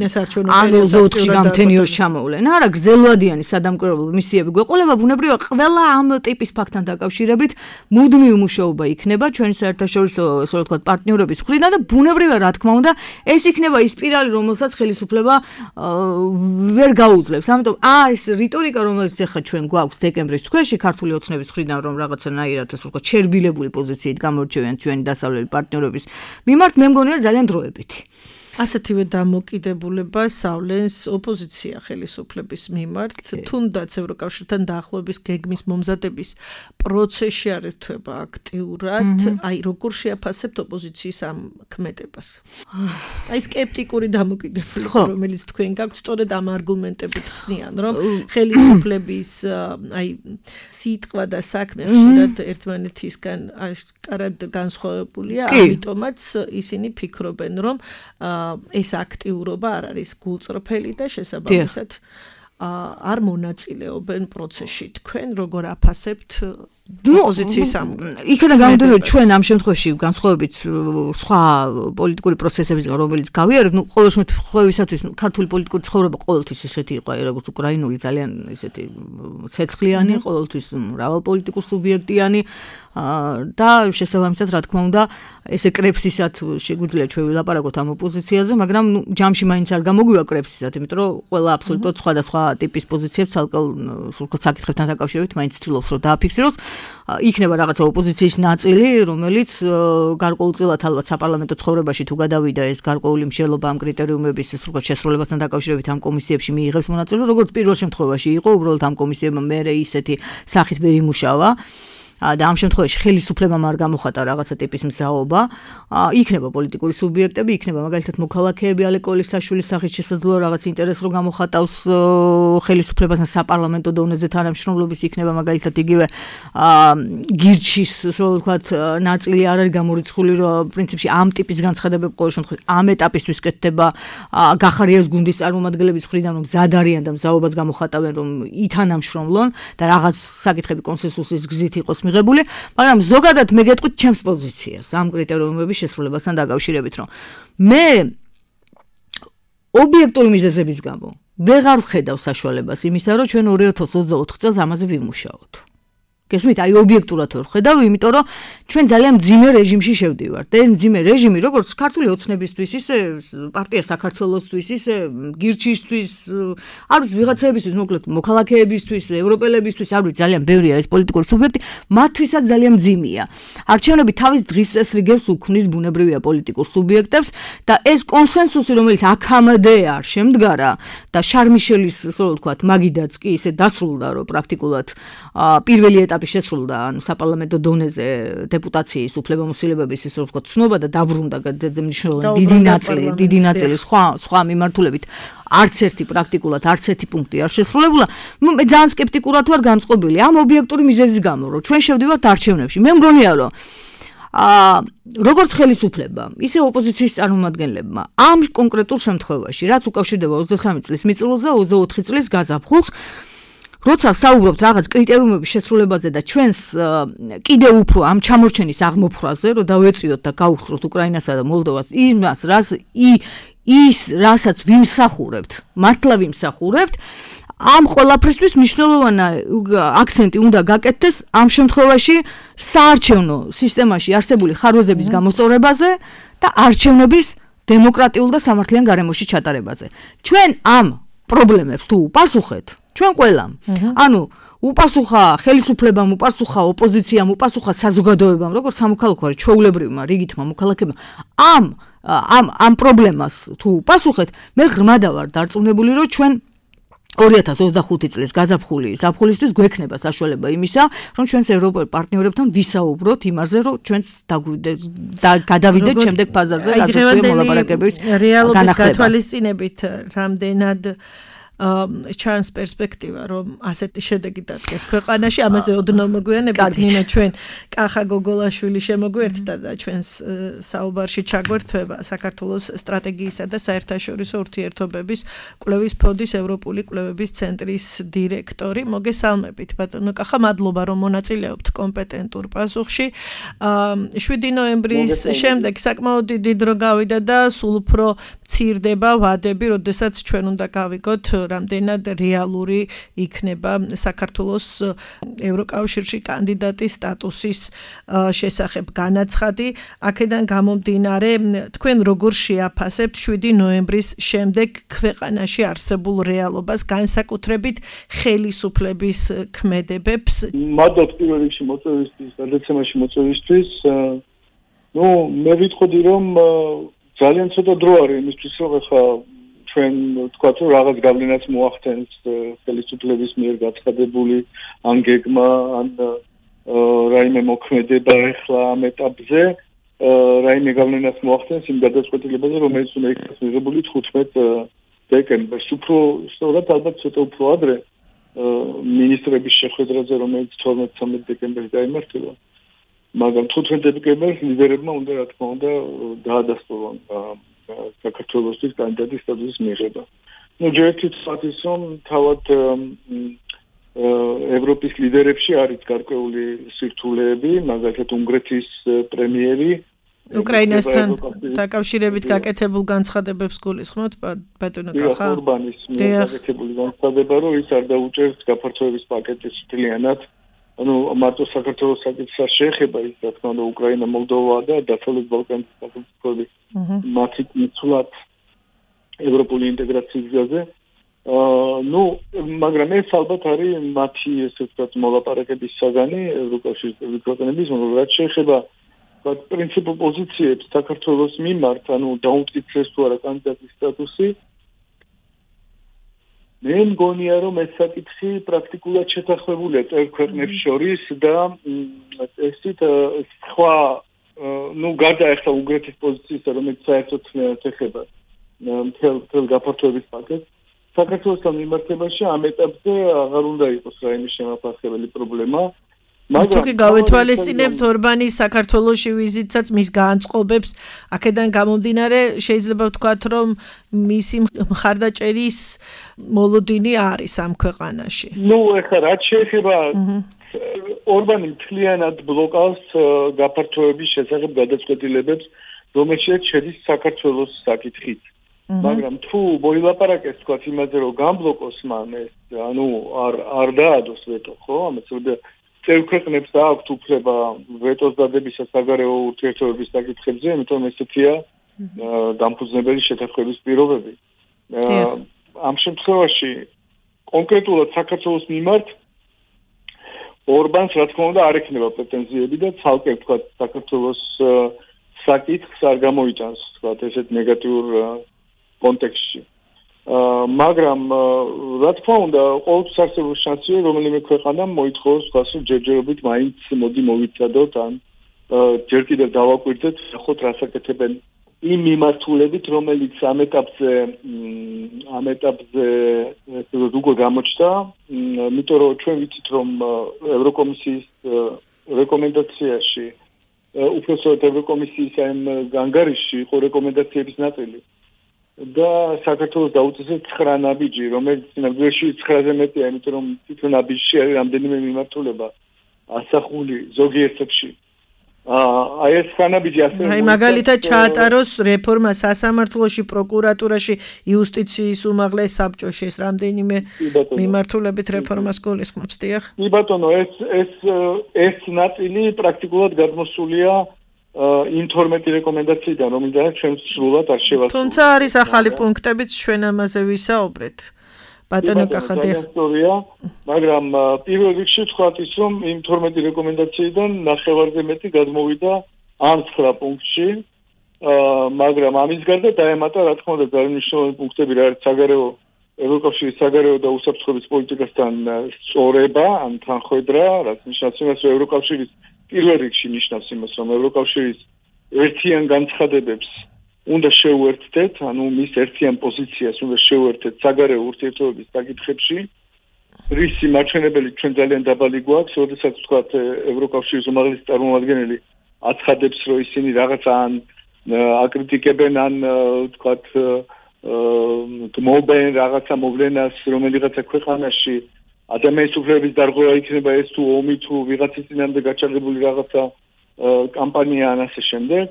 ან ოცდაოთხში გამთენიოს ჩამოვლენ. არა, გრძელვადიანი სადამკვირვებლო მისიები გვეყოლება, ბუნებრივია ყველა ამ ტიპის ფაქტთან დაკავშირებით მუდმივი მუშაობა იქნება ჩვენი საერთაშორისო, ასე ვთქვათ, პარტნიორების მხრიდან და ბუნებრივია, რა თქმა უნდა, ეს იქნება ის სპირალი, რომელსაც ხელისუფლება ვერ გაუძლებს. ამიტომ ეს რიტორიკა, რომელიც ახლა ჩვენ გვაქვს დეკემბრის თვეში ქართული ოცნების მხრიდან, რომ რაღაცანაირად, ასე ვთქვათ, შერბილებული პოზიციით გამორჩევიან ჩვენი დასავლელი პარტნიორების მიმართ, მე მგონია ძალიან დროებითი. ასეთივე დამოკიდებულება სავლენს ოპოზიცია ხელისუფლების მიმართ, თუნდაც ევროკავშირთან დაახლოების გეგმის მომზადების პროცესში არ ერთვება აქტიურად, აი როგორ შეაფასებთ ოპოზიციის ამ ქმედებას? აი სკეპტიკური დამოკიდებულება, რომელიც თქვენ გაქვთ, სწორედ ამ არგუმენტებით ხსნიან, რომ ხელისუფლების აი სიტყვა და საქმე ხშირად ერთმანეთისგან აშკარად განსხვავებულია, ამიტომაც ისინი ფიქრობენ, რომ ეს აქტიურობა არ არის გულწრფელი და შესაბამისად არ მონაწილეობენ პროცესში. თქვენ როგორ აფასებთ ოპოზიციის ამ? იქიდან გამომდინარე, ჩვენ ამ შემთხვევაში განსხვავებით სხვა პოლიტიკური პროცესებისგან, რომელიც გავიარეთ, ნუ ყოველ შემთხვევისათვის ქართული პოლიტიკური ცხოვრება ყოველთვის ისეთი იყო, როგორც უკრაინული, ძალიან ისეთი ცეცხლიანი, ყოველთვის მრავალპოლიტიკურ სუბიექტიანი და შესაბამისად, რა თქმა უნდა, ესე კრებსისად შეგვიძლია ჩვენ ვილაპარაკოთ ამ ოპოზიციაზე, მაგრამ ნუ ჯამში მაინც არ გამოგვივა კრებსისად, იმიტომ რომ ყველა აბსოლუტურად სხვადასხვა ტიპის პოზიციებს ცალკეულ სულკოთ საკითხებთან დაკავშირებით მაინც ცდილობს რომ დააფიქსიროს. იქნება რაღაცა ოპოზიციის ნაწილი, რომელიც გარკვეულწილად ალბათ საპარლამენტო ცხოვრებაში თუ გადავიდა ეს გარკვეული მსჯელობა ამ კრიტერიუმების სულკოთ შესრულებასთან დაკავშირებით ამ კომისიებში მიიღებს მონაწილეობა, როგორც პირველ შემთხვევაში იყო, უბრალოდ ამ კომისიებმა მერე ისეთი სახით ვერ იმუშავა. და ამ შემთხვევაში ხელისუფლებამ არ გამოხატა რაღაცა ტიპის მზაობა, იქნება პოლიტიკური სუბიექტები, იქნება მაგალითად მოქალაქეები, ალეკოლის საშულის სახით შესაძლოა რაღაც ინტერესს რო გამოხატავს ხელისუფლებასთან საპარლამენტო დონეზე თანამშრომლობის, იქნება მაგალითად იგივე გირჩის, რო ვთქვათ, ნაწილი არ არის გამორიცხული, რომ პრინციპში ამ ტიპის განცხადებები ყოველ შემთხვევაში ამ ეტაპისთვის კეთდება გახარიას გუნდის წარმომადგენლების მხრიდან, რომ მზად არიან და მზაობას გამოხატავენ, რომ ითანამშრომლონ და რაღაც საკითხები კონსენსუსის გზით იყოს მიღებული, მაგრამ ზოგადად მე გეტყვით ჩემს პოზიციას ამ კრიტერიუმების შესრულებასთან დაკავშირებით, რომ მე ობიექტური მიზეზების გამო ვეღარ ვხედავ საშუალებას იმისა, რომ ჩვენ ორი ათას ოცდაოთხ წელს ამაზე ვიმუშაოთ. გესმით, აი ობიექტურად ვერ ხედავ, იმიტომ რომ ჩვენ ძალიან მძიმე რეჟიმში შევდივართ. და ეს მძიმე რეჟიმი, როგორც ქართული ოცნებისთვის, ისე პარტია საქართველოსთვის, ისე გირჩისთვის, არ ვიცი, ვიღაცებისთვის, მოკლედ მოქალაქეებისთვის, ევროპელებისთვის, არ ვიცი, ძალიან ბევრია ეს პოლიტიკური სუბიექტი, მათთვისაც ძალიან მძიმეა. არჩევნები თავის დღის წესრიგებს უქმნის ბუნებრივია პოლიტიკურ სუბიექტებს და ეს კონსენსუსი, რომელიც აქამდე არ შემდგარა და შარმიშელის, ასე ვთქვათ, მაგიდაც კი ისე დასრულდა, რომ პრაქტიკულად პირველი ეტაპი შესრულდა, ანუ საპარლამენტო დონეზე დეპუტაციის უფლებამოსილებების ისე ვთქვათ ცნობა და დაბრუნდა მნიშვნელოვანი დიდი ნაწილი, დიდი ნაწილი სხვა სხვა მიმართულებით არც ერთი პრაქტიკულად არც ერთი პუნქტი არ შესრულებულა. მე ძალიან სკეპტიკურად ვარ განწყობილი ამ ობიექტური მიზეზის გამო, რომ ჩვენ შევდივართ არჩევნებში. მე მგონია, რომ აა როგორც ხელისუფლება, ისე ოპოზიციის წარმომადგენლებმა ამ კონკრეტულ შემთხვევაში, რაც უკავშირდება ოცდასამი წლის მიწურულს და ოცდაოთხი წლის გაზაფხულს, როცა საუბრობთ რაღაც კრიტერიუმების შესრულებაზე და ჩვენს კიდევ უფრო ამ ჩამორჩენის აღმოფხვრაზე, რომ დავეწიოთ და გავხსროთ უკრაინასა და მოლდოვას იმას, რას ის რასაც ვიმსახურებთ, მართლა ვიმსახურებთ, ამ ყველაფრისთვის მნიშვნელოვანი აქცენტი უნდა გაკეთდეს ამ შემთხვევაში საარჩევნო სისტემაში არსებული ხარვეზების გამოსწორებაზე და არჩევნების დემოკრატიულ და სამართლიან გარემოში ჩატარებაზე. ჩვენ ამ პრობლემებს თუ უპასუხეთ, ჩვენ ყველამ, ანუ უპასუხა ხელისუფლებამ, უპასუხა ოპოზიციამ, უპასუხა საზოგადოებამ, როგორც სამოქალაქო ჩვეულებრივმა რიგითმა მოქალაქეებმა, ამ ამ ამ პრობლემას თუ უპასუხეთ, მე ღრმადა ვარ დარწმუნებული, რომ ჩვენ ორი ათას ოცდახუთი წლის გაზაფხული ზაფხულისთვის გვექნება საშუალება იმისა, რომ ჩვენს ევროპელ პარტნიორებთან ვისაუბროთ იმაზე, რომ ჩვენს გადავიდეთ შემდეგ ფაზაზე, რაც მოლაპარაკებების რეალობის გათვალისწინებით რამდენად ჩანს პერსპექტივა, რომ ასეთი შედეგი დადგეს ქვეყანაში, ამაზე ოდნავ მოგვიანებით ნინა ჩვენ კახა გოგოლაშვილი შემოგვერთდა და ჩვენს საუბარში ჩაგვერთვება საქართველოს სტრატეგიისა და საერთაშორისო ურთიერთობების კვლევის ფონდის ევროპული კვლევების ცენტრის დირექტორი. მოგესალმებით ბატონო კახა, მადლობა რომ მონაწილეობთ კომპეტენტურ პასუხში. შვიდი ნოემბრის შემდეგ საკმაოდ დიდი დრო გავიდა და სულ უფრო მცირდება ვადები, როდესაც ჩვენ უნდა გავიგოთ რამდენად რეალური იქნება საქართველოს ევროკავშირში კანდიდატის სტატუსის შესახებ განაცხადი. აქედან გამომდინარე, თქვენ როგორ შეაფასებთ შვიდი ნოემბრის შემდეგ ქვეყანაში არსებულ რეალობას, განსაკუთრებით ხელისუფლების ქმედებებს? მადლობ პირველ რიგში მოწვევისთვის, გადაცემაში მოწვევისთვის. ნუ მე ვიტყოდი, რომ ძალიან ცოტა დრო არის იმისთვის, რომ ახლა ჩვენ ვთქვათ, რომ რაღაც გავლენაც მოახდენს ხელისუფლების მიერ გაცხადებული ან გეგმა, ან რაიმე მოქმედება ახლა ამ ეტაპზე, რაიმე გავლენაც მოახდენს იმ გადაწყვეტილებაზე, რომელიც უნდა იქნას მიღებული თხუთმეტ დეკემბერს. უფრო სწორად ალბათ ცოტა უფრო ადრე მინისტრების შეხვედრაზე, რომელიც თორმეტ-ცხრამეტ დეკემბერს გაიმართება. მაგრამ თხუთმეტ დეკემბერს ლიდერებმა უნდა, რა თქმა უნდა, დაადასტურონ საქართველოსთვის კანდიდატის სტატუსის მიღება. ნუ ჯერ ერთი თქვათ ის, რომ თავად ევროპის ლიდერებში არის გარკვეული სირთულეები, მაგალითად უნგრეთის პრემიერი უკრაინასთან დაკავშირებით გაკეთებულ განცხადებებს გულისხმობთ ბატონო კახა? ორბანის გაკეთებული განცხადება, რომ ის არ დაუჭერს გაფართოების პაკეტის მთლიანად. ანუ მარტო საქართველოს საკითხს შეეხება ის, რა თქმა უნდა, უკრაინა, მოლდოვა და დასავლეთ ბალკანის სახელმწიფოები მათი მიცვლად ევროპული ინტეგრაციის გზაზე. ნუ, მაგრამ ეს ალბათ არის მათი, ესე ვთქვათ, მოლაპარაკების საგანი ევროკავშირის ქვეყნების, რაც შეეხება პრინციპულ პოზიციებს საქართველოს მიმართ, ანუ დაუმტკიცეს თუ არა კანდიდატის სტატუსი. მე მგონია, რომ ეს საკითხი პრაქტიკულად შეთანხმებულია წევრ ქვეყნებს შორის და ესეთ სხვა, ნუ გარდა ახლა უნგრეთის პოზიციისა, რომელიც საერთოდ ეხება მთელ გაფართოების პაკეტს, საქართველოსთან მიმართებაში ამ ეტაპზე აღარ უნდა იყოს რაიმე შემაფარხებელი პრობლემა. თუ კი გავეთვალისწინებთ ორბანის საქართველოში ვიზიტსაც მის განწყობებს, აქედან გამომდინარე შეიძლება ვთქვათ, რომ მისი მხარდაჭერის მოლოდინი არის ამ ქვეყანაში. ნუ ეხლა რაც შეეხება ორბანი მთლიანად ბლოკავს გაფართოების შესახებ გადაწყვეტილებებს, რომელშიც შედის საქართველოს საკითხით. მაგრამ თუ მოილაპარაკეს თქვათ იმაზე, რომ გამბლოკოს მან ეს, ანუ არ არ დაადოს ვეტო, ხო? ამას უნდა წევრ ქვეყნებს აქვთ უფლება ვეტოს დადებისა საგარეო ურთიერთობების საკითხებზე, იმიტომ ესეთია დამფუძნებელი შეთანხმების პირობები. ამ შემთხვევაში კონკრეტულად საქართველოს მიმართ ორბანს რა თქმა უნდა არ ექნება პრეტენზიები და ცალკე თქვა საქართველოს საკითხს არ გამოიტანს თქვა ესეთ ნეგატიურ კონტექსტში. მაგრამ რა თქმა უნდა ყოველთვის არსებობს შანსი რომელიმე ქვეყანამ მოითხოვოს თქვა ჯერჯერობით მაინც მოდი მოვიცადოთ ან ჯერ კიდევ დავაკვირდეთ ნახოთ რა საკეთებენ იმ მიმართულებით რომელიც ამ ეტაპზე ამ ეტაპზე როგორ გამოჩნდა იმიტომ რომ ჩვენ ვიცით რომ ევროკომისიის რეკომენდაციაში უпроსოდ ევროკომისიის ამ ანგარიშში იყო რეკომენდაციების ნაწილი და საქართველოს დაუწესეთ ცხრა ნაბიჯი რომელიც ნაბიჯში ცხრაზე მეტია იმიტომ რომ თვითონ ნაბიჯში არის რამდენიმე მიმართულება ასახული ზოგიერთებში აი ეს ხანაბიჯი ასე აი მაგალითად ჩაატაროს რეფორმა სასამართლოში, პროკურატურაში, იუსტიციის უმაღლეს საბჭოში ეს რამდენიმე მიმართულებით რეფორმას გულისხმობს, დიახ? კი ბატონო, ეს ეს ეს ნაწილი პრაქტიკულად გადმოსულია იმ თორმეტი რეკომენდაციიდან, რომელზეც ჩვენ სრულად არ შევასრულეთ. თუმცა არის ახალი პუნქტებიც ჩვენ ამაზე ვისაუბრეთ. ბატონო კახადია მაგრამ პირველ რიგში ვთქვათ ის რომ იმ თორმეტი რეკომენდაციიდან ნახევარზე მეტი გადმოვიდა ამ ცხრა პუნქტში მაგრამ ამის გარდა დაემატა რა თქმა უნდა ძალიან მნიშვნელოვანი პუნქტები რა არის საგარეო ევროკავშირის საგარეო და უსაფრთხოების პოლიტიკასთან სწორება ან თანხვედრა რაც ნიშნავს იმას რომ ევროკავშირის პირველ რიგში ნიშნავს იმას რომ ევროკავშირის ერთიან განცხადებებს უნდა შევუერთდეთ, ანუ მის ერთიან პოზიციას უნდა შევუერთდეთ საგარეო ურთიერთობების საკითხებში. რისი მაჩვენებელი ჩვენ ძალიან დაბალი გვაქვს, როდესაც ვთქვათ ევროკავშირის უმაღლესი წარმომადგენელი აცხადებს, რომ ისინი რაღაცა ან აკრიტიკებენ ან ვთქვათ გმობენ რაღაცა მოვლენას, რომელიღაცა ქვეყანაში ადამიანის უფლებების დარღვევა იქნება ეს თუ ომი თუ ვიღაცის წინამდე გაჩაღებული რაღაცა კამპანია ან ასე შემდეგ.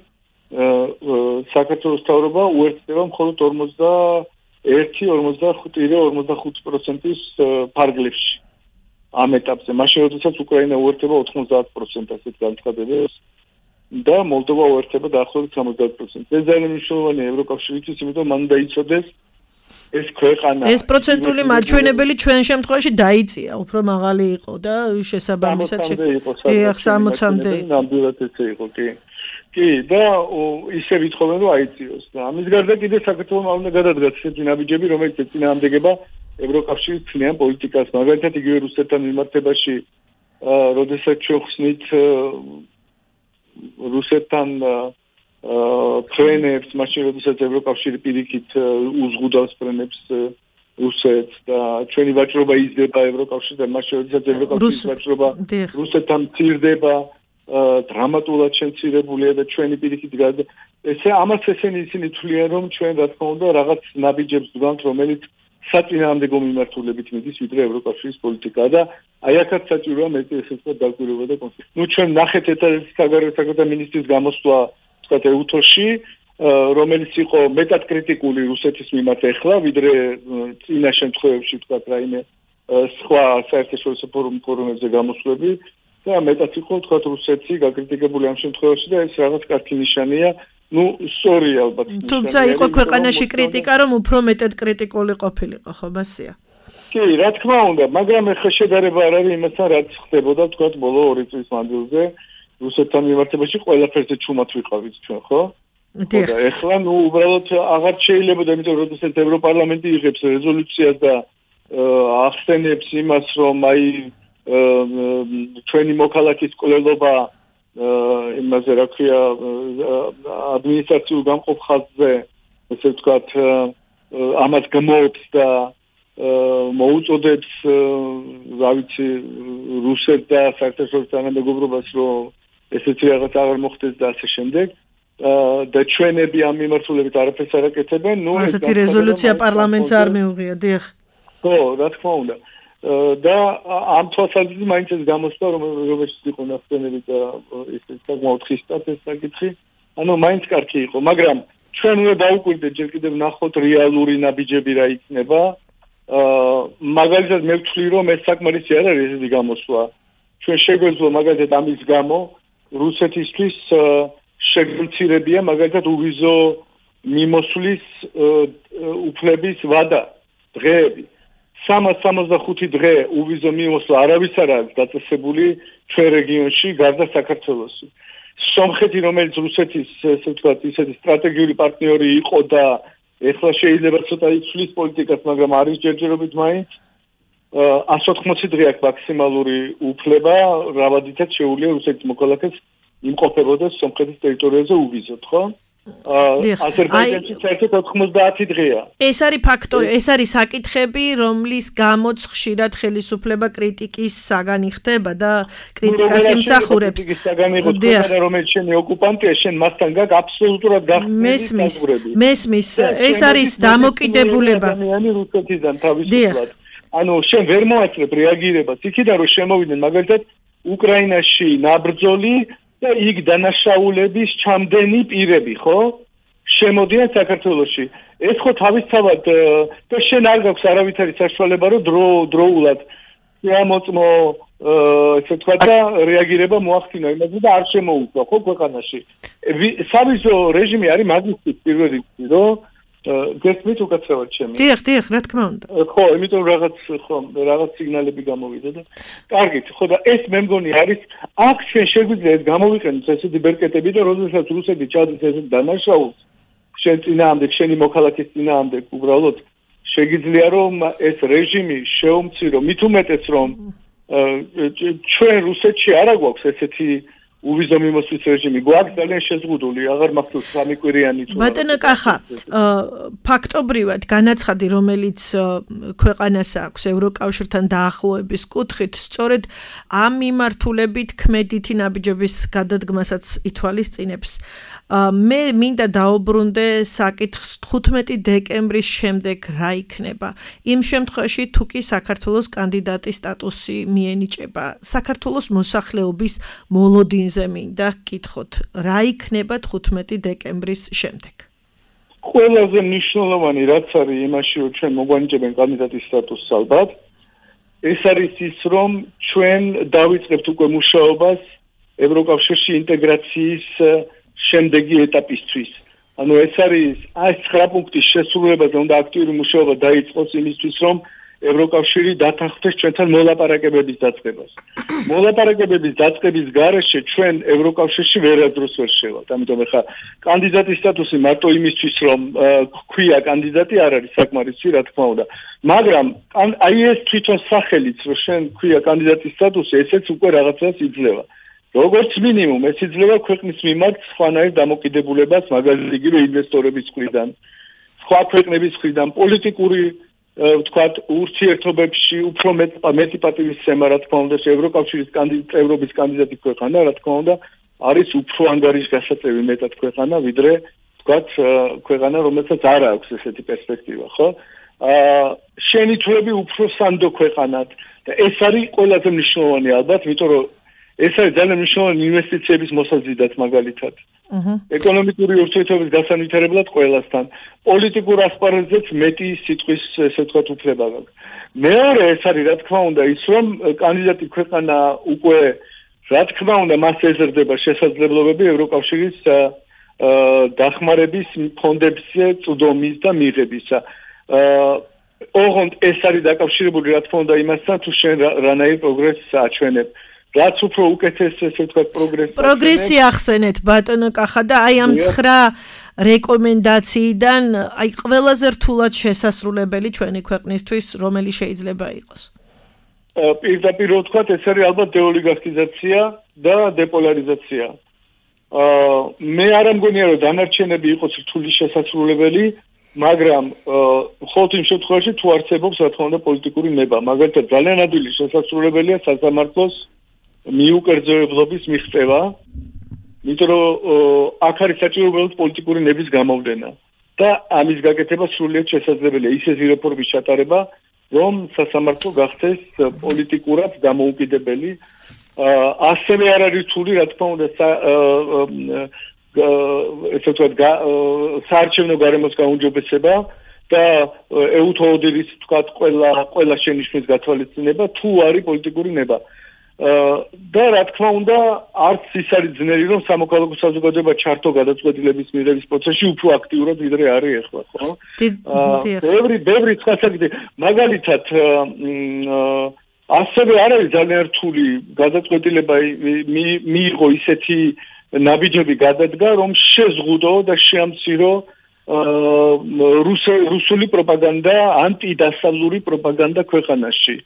საქართველოს თავრობა უერთდება მხოლოდ ორმოცდაერთი ორმოცდახუთი პროცენტის ფარგლებში ამ ეტაპზე. მაშინ როდესაც უკრაინა უერთდება ოთხმოცდაათ პროცენტს ასეთ განცხადებას და მოლდოვა უერთდება დაახლოებით სამოცდაათ პროცენტს. ეს ძალიან მნიშვნელოვანია ევროკავშირისთვის, იმიტომ მან დაიცოდეს ეს ქვეყანა. ეს პროცენტული მაჩვენებელი ჩვენ შემთხვევაში დაიწია, უფრო მაღალი იყო და შესაბამისად სამოცამდე ნამდვილად ესე იყო, კი. კი და ისე ვითხოვენ რომ აიწიოს და ამის გარდა კიდე საქართველოს უნდა გადადგას ესეთი ნაბიჯები რომელიც ეწინააღმდეგება ევროკავშირის წინიან პოლიტიკას მაგალითად იგივე რუსეთთან მიმართებაში როდესაც ჩვენ ხსნით რუსეთთან ფრენებს მაშინ როდესაც ევროკავშირი პირიქით უზღუდავს ფრენებს რუსეთს და ჩვენი ვაჭრობა იზრდება ევროკავშირთან მაშინ როდესაც ევროკავშირის ვაჭრობა რუსეთთან მცირდება დრამატულად შემცირებულია და ჩვენი პირიქით გადა ესე ამას ესენი ისინი თვლიან რომ ჩვენ რა თქმა უნდა რაღაც ნაბიჯებს ვდგანთ რომელიც საწინააღმდეგო მიმართულებით მიდის ვიდრე ევროკავშირის პოლიტიკა და აი აქაც საჭიროა მეტი ესე ვთქვათ დაგკვირვება და კონსულტაცია. ნუ ჩვენ ნახეთ ეს საგარეო საქმეთა მინისტრის გამოსვლა ვთქვათ ეუთოში რომელიც იყო მეტად კრიტიკული რუსეთის მიმართ ეხლა ვიდრე წინა შემთხვევებში ვთქვათ რაიმე სხვა საერთაშორისო ფორუმებზე გამოსვლები და მეტად იყო თქვა რუსეთი გაკრიტიკებული ამ შემთხვევაში და ეს რაღაც კარგი ნიშანია. ნუ სწორი ალბათ. თუმცა იყო ქვეყანაში კრიტიკა რომ უფრო მეტად კრიტიკული ყოფილიყო, ხო მასია? კი, რა თქმა უნდა, მაგრამ ეხლა შედარება არ არის იმასთან რაც ხდებოდა თქვა ბოლო ორი წლის მანძილზე რუსეთთან მიმართებაში ყველაფერზე ჩუმად ვიყავით ჩვენ, ხო? დიახ. და ეხლა ნუ უბრალოდ აღარ შეიძლება და იმიტომ როდესაც ევროპარლამენტი იღებს რეზოლუციას და ახსენებს იმას რომ აი ჩვენი მოქალაქის კვლელობა იმაზე რა ქვია ადმინისტრაციულ გამყოფ ხაზზე ესე ვთქვათ ამას გმობს და მოუწოდებს რა ვიცი რუსეთს და საერთაშორისო თანამეგობრობას რომ ესეთი რაღაც აღარ მოხდეს და ასე შემდეგ და ჩვენები ამ მიმართულებით არაფერს არ აკეთებენ ნუ ესეთი რეზოლუცია პარლამენტს არ მიუღია დიახ ხო რა თქმა უნდა და ამ თვალსაზრისით მაინც ეს გამოსვლა რომ რომელშიც იყო ნახსენები და ეს საკმაოდ ხისტად ეს საკითხი ანუ მაინც კარგი იყო მაგრამ ჩვენ უნდა დავუკვირდეთ ჯერ კიდევ ნახოთ რეალური ნაბიჯები რა იქნება მაგალითად მე ვთვლი რომ ეს საკმარისი არ არის ესეთი გამოსვლა ჩვენ შეგვეძლო მაგალითად ამის გამო რუსეთისთვის შეგვცირებია მაგალითად უვიზო მიმოსვლის უფლების ვადა დღეები. სამას სამოცდახუთი დღე უვიზო მიმოსვლა არავის არ არის დაწესებული ჩვენ რეგიონში გარდა საქართველოსი. სომხეთი, რომელიც რუსეთის ესე ვთქვათ, ისეთი სტრატეგიული პარტნიორი იყო და ეხლა შეიძლება ცოტა იცვლის პოლიტიკას, მაგრამ არის ჯერჯერობით მაინც ას ოთხმოცი დღე აქვს მაქსიმალური უფლება, რავადითაც შეუძლია რუსეთის მოქალაქეს იმყოფებოდეს სომხეთის ტერიტორიაზე უვიზოთ, ხო? აზერბაიჯანში საერთოდ ოთხმოცდაათი დღეა. ეს არის ფაქტორი, ეს არის საკითხები, რომლის გამოც ხშირად ხელისუფლება კრიტიკის საგანი ხდება და კრიტიკას იმსახურებს. კრიტიკის საგანი ხდება და რომელიც შენი ოკუპანტია, შენ მასთან გაქვს აბსოლუტურად გახსნილი საზღვრები. მესმის, ეს არის დამოკიდებულება. ადამიანი რუსეთიდან თავისუფლად. ანუ შენ ვერ მოასწრებ რეაგირებას. იქიდან რომ შემოვიდნენ მაგალითად უკრაინაში ნაბრძოლი და იქ დანაშაულების ჩამდენი პირები, ხო? შემოდიან საქართველოში. ეს ხო თავისთავად და შენ არ გაქვს არავითარი საშუალება, რომ დრო დროულად შეამოწმო, ესე ვთქვათ და რეაგირება მოახდინო იმაზე და არ შემოუწვა, ხო, ქვეყანაში. სავიზო რეჟიმი არის მაგისტრის პირველ რიგში, რომ გესმით უკაცრავად ჩემი. დიახ, დიახ, რა თქმა უნდა. ხო, იმიტომ რაღაც ხო, რაღაც სიგნალები გამოვიდა და კარგით, ხო და ეს მე მგონი არის აქ ჩვენ შეგვიძლია გამოვიყენოთ ესეთი ბერკეტები და როდესაც რუსეთი ჩადის ესეთ დანაშაულს, შენ წინააღმდეგ, შენი მოქალაქის წინააღმდეგ უბრალოდ შეგიძლია რომ ეს რეჟიმი შეუმცირო, მით უმეტეს რომ ჩვენ რუსეთში არ აგვაქვს ესეთი უვიზო მიმოსვლის რეჟიმი გვაქვს ძალიან შეზღუდული, აღარ მახსოვს სამი კვირიანი თუ ბატონო კახა, ფაქტობრივად განაცხადი, რომელიც ქვეყანას აქვს ევროკავშირთან დაახლოების კუთხით, სწორედ ამ მიმართულებით ქმედითი ნაბიჯების გადადგმასაც ითვალისწინებს. მე მინდა დაუბრუნდე საკითხს თხუთმეტი დეკემბრის შემდეგ რა იქნება. იმ შემთხვევაში თუ კი საქართველოს კანდიდატის სტატუსი მიენიჭება, საქართველოს მოსახლეობის მოლოდინზე მინდა გკითხოთ, რა იქნება თხუთმეტი დეკემბრის შემდეგ. ყველაზე მნიშვნელოვანი რაც არის იმაში, რომ ჩვენ მოგვანიჭებენ კანდიდატის სტატუსს ალბათ, ეს არის ის, რომ ჩვენ დავიწყებთ უკვე მუშაობას ევროკავშირში ინტეგრაციის შემდეგი ეტაპისთვის. ანუ ეს არის ეს ცხრა პუნქტის შესრულებაზე უნდა აქტიური მუშაობა დაიწყოს იმისთვის, რომ ევროკავშირი დათანხმდეს ჩვენთან მოლაპარაკებების დაწყებას. მოლაპარაკებების დაწყების გარეშე ჩვენ ევროკავშირში ვერასდროს ვერ შევავთ. ამიტომ ახლა კანდიდატის სტატუსი მარტო იმისთვის, რომ ქვია კანდიდატი არ არის საკმარისი, რა თქმა უნდა. მაგრამ აი ეს თვითონ სახელიც, რომ შენ ქვია კანდიდატის სტატუსი, ესეც უკვე რაღაცას იძლევა. როგორც მინიმუმ ეს იძლევა ქვეყნის მიმართ სხვანაირ დამოკიდებულებას, მაგალითად იგივე ინვესტორების მხრიდან, სხვა ქვეყნების მხრიდან, პოლიტიკური ვთქვათ, ურთიერთობებში უფრო მეტი პატივისცემა, რა თქმა უნდა, ევროკავშირის წევრობის კანდიდატი ქვეყანა, რა თქმა უნდა, არის უფრო ანგარიშგასაწევი მეტად ქვეყანა, ვიდრე ვთქვათ, ქვეყანა, რომელსაც არ აქვს ესეთი პერსპექტივა, ხო? აა შენითვლები უფრო სანდო ქვეყანად და ეს არის ყველაზე მნიშვნელოვანი ალბათ, იმიტომ რომ ეს არის ძალიან მნიშვნელოვანი ინვესტიციების მოსაზიდად მაგალითად. ეკონომიკური ურთიერთობის გასანვითარებლად ყველასთან. პოლიტიკურ ასპარეზზეც მეტი სიტყვის ესე ვთქვათ უფლება გაქვს. მეორე ეს არის რა თქმა უნდა ის, რომ კანდიდატი ქვეყანა უკვე რა თქმა უნდა მას ეზრდება შესაძლებლობები ევროკავშირის დახმარების ფონდებზე წვდომის და მიღებისა. ოღონდ ეს არის დაკავშირებული რა თქმა უნდა იმასთან, თუ შენ რანაირ პროგრესს აჩვენებ. რაც უფრო უკეთეს ესე ვთქვათ პროგრესი პროგრესი ახსენეთ ბატონო კახა და აი ამ ცხრა რეკომენდაციიდან აი ყველაზე რთულად შესასრულებელი ჩვენი ქვეყნისთვის რომელი შეიძლება იყოს. პირდაპირ ვთქვათ ეს არის ალბათ დეოლიგარქიზაცია და დეპოლარიზაცია. მე არ მგონია რომ დანარჩენები იყოს რთული შესასრულებელი, მაგრამ მხოლოდ იმ შემთხვევაში თუ არსებობს რა თქმა უნდა პოლიტიკური ნება. მაგალითად ძალიან ადვილი შესასრულებელია სასამართლოს მიუკერძოებლობის მიღწევა, იმიტომ რომ აქ არის საჭირო პოლიტიკური ნების გამოვლენა და ამის გაკეთება სრულიად შესაძლებელია ისეთი რეფორმის ჩატარება, რომ სასამართლო გახდეს პოლიტიკურად დამოუკიდებელი. ასევე არ არის რთული, რა თქმა უნდა, ესე ვთქვათ, საარჩევნო გარემოს გაუმჯობესება და ეუთოოდირის ვთქვათ, ყველა ყველა შენიშვნის გათვალისწინება, თუ არის პოლიტიკური ნება. და რა თქმა უნდა არც ის არის ძნელი რომ სამოქალაქო საზოგადოება ჩართო გადაწყვეტილების მიღების პროცესში უფრო აქტიურად ვიდრე არის ახლა ხო? ბევრი ბევრი სხვა საკითხი მაგალითად ასევე არ არის ძალიან რთული გადაწყვეტილება მიიღო ისეთი ნაბიჯები გადადგა რომ შეზღუდო და შეამცირო რუსული პროპაგანდა ანტიდასავლური პროპაგანდა ქვეყანაში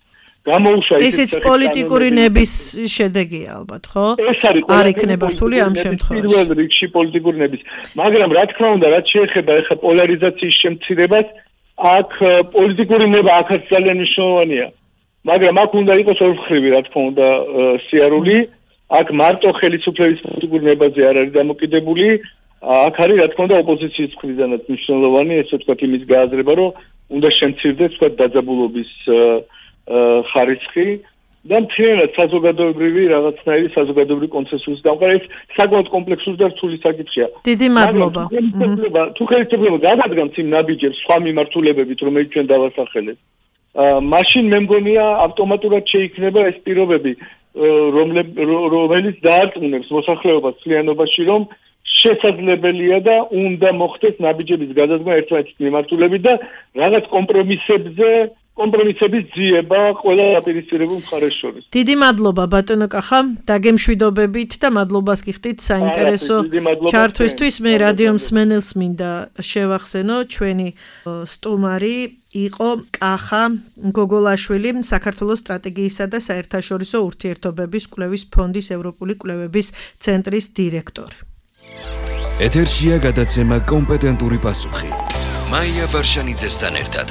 გამოუშვა ისიც პოლიტიკური ნების შედეგია ალბათ ხო? არ იქნება რთული ამ შემთხვევაში. პირველ რიგში პოლიტიკური ნების. მაგრამ რა თქმა უნდა, რაც შეეხება ახლა პოლარიზაციის შემცირებას, აქ პოლიტიკური ნება აქაც ძალიან მნიშვნელოვანია. მაგრამ აქ უნდა იყოს ორმხრივი, რა თქმა უნდა, სიარული. აქ მარტო ხელისუფლების პოლიტიკური ნებაზე არ არის დამოკიდებული. აქ არის რა თქმა უნდა ოპოზიციის მხრიდანაც მნიშვნელოვანი, ესე ვთქვათ, იმის გააზრება, რომ უნდა შემცირდეს ვთქვათ დაძაბულობის ხარისხი და მთლიანად საზოგადოებრივი რაღაცნაირი საზოგადოებრივი კონსენსუსის დამყარება ეს საკმაოდ კომპლექსური და რთული საკითხია. დიდი მადლობა. თუ ხელისუფლება გადადგამს იმ ნაბიჯებს სხვა მიმართულებებით, რომელიც ჩვენ დავასახელეთ, მაშინ მე მგონია ავტომატურად შეიქმნება ეს პირობები, რომელიც დაარწმუნებს მოსახლეობას მთლიანობაში, რომ შესაძლებელია და უნდა მოხდეს ნაბიჯების გადადგმა ერთმანეთის მიმართულებით და რაღაც კომპრომისებზე კომპრომისების ძიება ყველა დაპირისპირებულ მხარეს შორის. დიდი მადლობა ბატონო კახა, დაგემშვიდობებით და მადლობას გიხდით საინტერესო ჩართვისთვის. მე რადიო მსმენელს მინდა შევახსენო, ჩვენი სტუმარი იყო კახა გოგოლაშვილი, საქართველოს სტრატეგიისა და საერთაშორისო ურთიერთობების კვლევის ფონდის ევროპული კვლევების ცენტრის დირექტორი. ეთერშია გადაცემა კომპეტენტური პასუხი. მაია ვარშანიძესთან ერთად.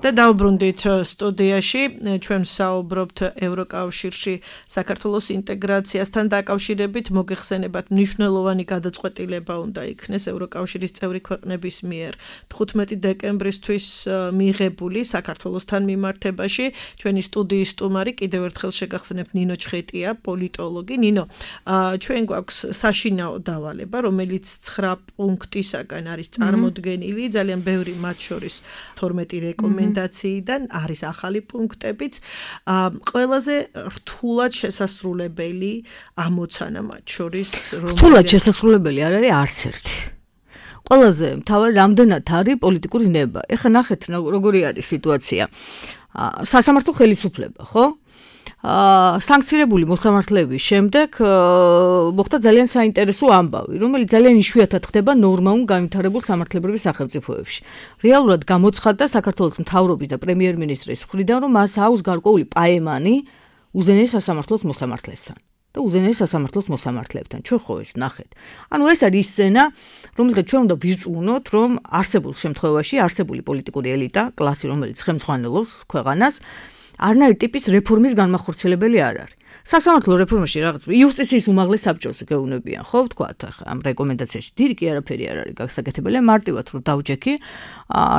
და დავბრუნდით სტუდიაში, ჩვენ საუბრობთ ევროკავშირში საქართველოს ინტეგრაციასთან დაკავშირებით, მოგეხსენებათ მნიშვნელოვანი გადაწყვეტილება უნდა იქნეს ევროკავშირის წევრი ქვეყნების მიერ თხუთმეტი დეკემბრისთვის მიღებული საქართველოსთან მიმართებაში. ჩვენი სტუდიის სტუმარი კიდევ ერთხელ შეგახსენებთ ნინო ჩხეტია, პოლიტოლოგი. ნინო, ჩვენ გვაქვს საშინაო დავალება, რომელიც ცხრა პუნქტისაგან არის წარმოდგენილი, ძალიან ბევრი მათ შორის თორმეტი რეკომენდაცია დან არის ახალი პუნქტებიც. ყველაზე რთულად შესასრულებელი ამოცანა მათ შორის რომ რთულად შესასრულებელი არ არის არც ერთი. ყველაზე მთავარი რამდენად არის პოლიტიკური ნება. ეხლა ნახეთ როგორი არის სიტუაცია. სასამართლო ხელისუფლება, ხო? სანქცირებული მოსამართლეების შემდეგ მოხდა ძალიან საინტერესო ამბავი, რომელიც ძალიან იშვიათად ხდება ნორმალურ განვითარებულ სამართლებრივ სახელმწიფოებში. რეალურად გამოცხადდა საქართველოს მთავრობის და პრემიერ-მინისტრის მხრიდან, რომ მას აქვს გარკვეული პაემანი უზენაეს სასამართლოს მოსამართლესთან და უზენაეს სასამართლოს მოსამართლებთან. ჩვენ ხო ეს ვნახეთ. ანუ ეს არის სცენა, რომელსაც ჩვენ უნდა ვირწმუნოთ, რომ არსებულ შემთხვევაში არსებული პოლიტიკური ელიტა, კლასი, რომელიც ხელმძღვანელობს ქვეყანას, არნაირი ტიპის რეფორმის განმახორციელებელი არ არის. სასამართლო რეფორმაში რაღაც იუსტიციის უმაღლეს საბჭოს გეუბნებიან, ხო, ვთქვათ, ახლა ამ რეკომენდაციაში დიდი კი არაფერი არ არის გასაკეთებელი, მარტივად რომ დავჯექი,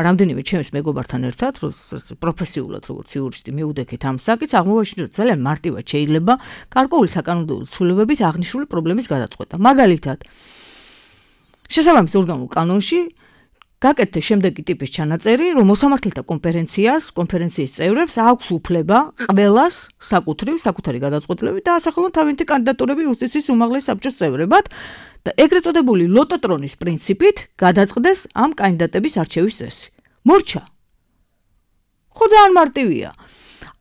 რამდენიმე ჩემს მეგობართან ერთად, რომ პროფესიულად როგორც იურისტი მივუდექით ამ საკითხს, აღმოვაჩინოთ, რომ ძალიან მარტივად შეიძლება გარკვეული საკანონმდებლო ცვლილებებით აღნიშნული პრობლემის გადაწყვეტა. მაგალითად, შესაბამის ორგანულ კანონში გაკეთდა შემდეგი ტიპის ჩანაწერი, რომ მოსამართლეთა კონფერენციას, კონფერენციის წევრებს აქვს უფლება ყველას საკუთრივ, საკუთარი გადაწყვეტილებით დაასახელონ თავიანთი კანდიდატურები იუსტიციის უმაღლეს საბჭოს წევრებად და ეგრეთ წოდებული ლოტოტრონის პრინციპით გადაწყდეს ამ კანდიდატების არჩევის წესი. მორჩა. ხო ძალიან მარტივია.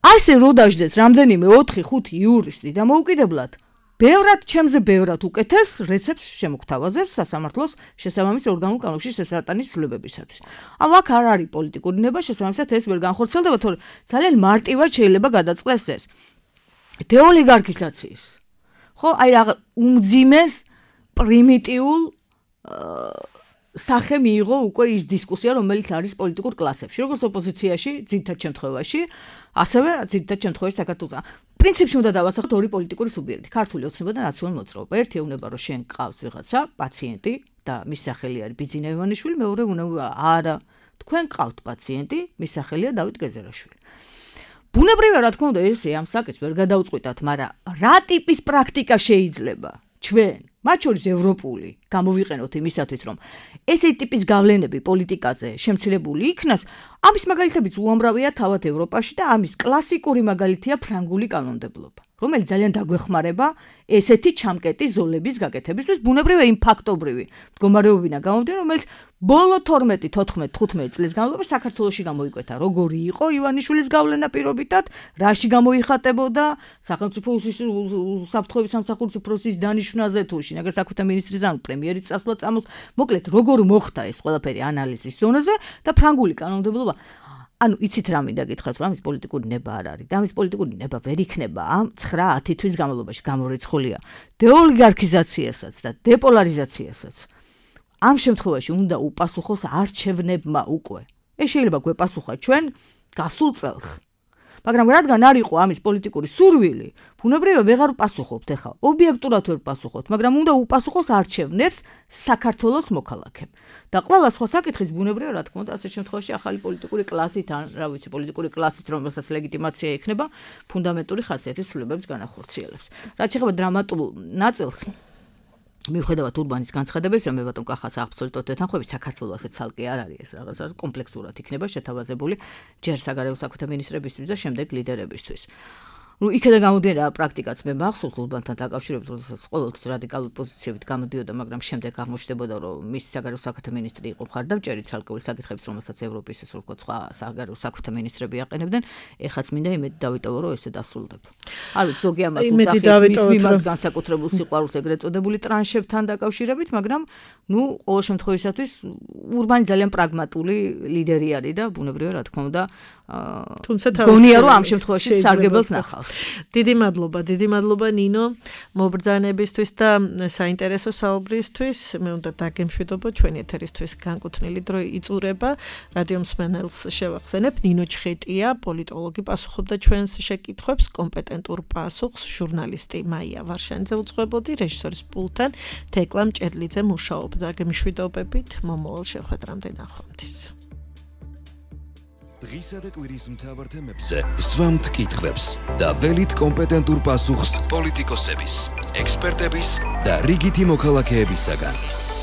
ასე რო დაждდეს რამდენიმე ოთხი ხუთი იურისტი და მოუკიდებლად ბევრად ჩემზე ბევრად უკეთეს რეცეპტს შემოგთავაზებს სასამართლოს შესაბამის ორგანულ კანონში შესატანის ცვლილებებისათვის. ანუ აქ არ არის პოლიტიკური ნება, შესაბამისად ეს ვერ განხორციელდება, თორე ძალიან მარტივად შეიძლება გადაწყდეს ეს. დეოლიგარქიზაციის. ხო, აი რაღაც უმძიმეს პრიმიტიულ სახე მიიღო უკვე ის დისკუსია, რომელიც არის პოლიტიკურ კლასებში, როგორც ოპოზიციაში, ძირითად შემთხვევაში, ასევე ძირითად შემთხვევაში საქართველოს. პრინციპში უნდა დავასახოთ ორი პოლიტიკური სუბიექტი, ქართული ოცნება და ნაციონალური მოძრაობა. ერთი ეუბნება, რომ შენ გყავს ვიღაცა, პაციენტი და მის სახელი არის ბიძინა ივანიშვილი, მეორე უნება, არა, თქვენ გყავთ პაციენტი, მის სახელია დავით გეზერაშვილი. ბუნებრივია, რა თქმა უნდა, ესე ამ საკითხს ვერ გადაუწყვიტათ, მაგრამ რა ტიპის პრაქტიკა შეიძლება ჩვენ მათ შორის ევროპული გამოვიყენოთ იმისათვის, რომ ესეთი ტიპის გავლენები პოლიტიკაზე შემცირებული იქნას, ამის მაგალითებიც უამრავია თავად ევროპაში და ამის კლასიკური მაგალითია ფრანგული კანონმდებლობა. რომელიც ძალიან დაგვეხმარება ესეთი ჩამკეტი ზოლების გაკეთებისთვის, ბუნებრივია იმ ფაქტობრივი მდგომარეობიდან გამომდინარე, რომელიც ბოლო თორმეტი, თოთხმეტი, თხუთმეტი წლის განმავლობაში საქართველოში გამოიკვეთა, როგორი იყო ივანიშვილის გავლენა პირობითად, რაში გამოიხატებოდა სახელმწიფო უსაფრთხოების სამსახურის უფროსის დანიშვნაზე თუ შინაგან საქმეთა მინისტრის ან პრემიერის წასვლა წამოს, მოკლედ როგორ მოხდა ეს ყველაფერი ანალიზის ზონაზე და ფრანგული კანონმდებლობა ანუ იცით რა მინდა გითხრათ, რომ ამის პოლიტიკური ნება არ არის. და ამის პოლიტიკური ნება ვერ იქნება ამ ცხრა ათი თვის განმავლობაში გამორიცხულია დეოლიგარქიზაციასაც და დეპოლარიზაციასაც. ამ შემთხვევაში უნდა უპასუხოს არჩევნებმა უკვე. ეს შეიძლება გვეპასუხა ჩვენ გასულ წელს. მაგრამ რადგან არ იყო ამის პოლიტიკური სურვილი, ბუნებრივია ვეღარ პასუხობთ ახლა. ობიექტურად ვერ პასუხობთ, მაგრამ უნდა უპასუხოს არჩევნებს საქართველოს მოქალაქემ. და ყველა სხვა საკითხის ბუნებრივია რა თქმა უნდა ასეთ შემთხვევაში ახალი პოლიტიკური კლასით ან რა ვიცი პოლიტიკური კლასით რომელსაც ლეგიტიმაცია ექნება ფუნდამენტური ხასიათის ცვლილებებს განახორციელებს. რაც შეეხება დრამატულ ნაწილს მიუხედავად ურბანის განცხადებებისა, მე ბატონ კახას აბსოლუტურად ეთანხმები, საქართველოს ასეთ ცალკე არ არის ეს რაღაცა კომპლექსურად იქნება შეთავაზებული ჯერ საგარეო საქმეთა მინისტრებისთვის და შემდეგ ლიდერებისთვის. ну იქედა გამოდიოდა პრაქტიკაც მე მახსოვს ურბანთან დაკავშირებით, როდესაც ყოველთვის რადიკალური პოზიციებით გამოდიოდა, მაგრამ შემდეგ აღმოჩნდებოდა, რომ მის საგარეო საქმეთა მინისტრი იყო მხარდამჭერი ცალკეული საკითხების, რომელსაც ევროპის ეს როგორ სხვა საგარეო საქმეთა მინისტრები აყენებდნენ, ეხაც მინდა იმედი დავიტოვო, რომ ესე დასრულდება. არ ვიცი, ზოგი ამას უძახის მის მიმართ განსაკუთრებულ სიყვარულს ეგრეთ წოდებული ტრანშებთან დაკავშირებით, მაგრამ ну ყოველ შემთხვევისათვის ურბანი ძალიან პრაგმატული ლიდერი არის და ბუნებრივია რა თქმა უნდა თუმცა გონია რომ ამ შემთხვევაში სარგებელს ნახავს. დიდი მადლობა, დიდი მადლობა ნინო მობრძანებისთვის და საინტერესო საუბრისთვის. მე უნდა დაგემშვიდობო ჩვენი ეთერისთვის განკუთვნილი დრო იწურება. რადიო მსმენელს შევახსენებ, ნინო ჩხეტია, პოლიტოლოგი პასუხობდა ჩვენს შეკითხვებს, კომპეტენტურ პასუხს ჟურნალისტი მაია ვარშანიძე უძღვებოდი, რეჟისორის პულტთან თეკლა მჭედლიძე მუშაობდა. გემშვიდობებით, მომავალ შეხვედრამდე ნახვამდის. დღისა და კვირის მთავარ თემებზე სვამთ კითხვებს და ველით კომპეტენტურ პასუხს პოლიტიკოსების, ექსპერტების და რიგითი მოქალაქეებისაგან.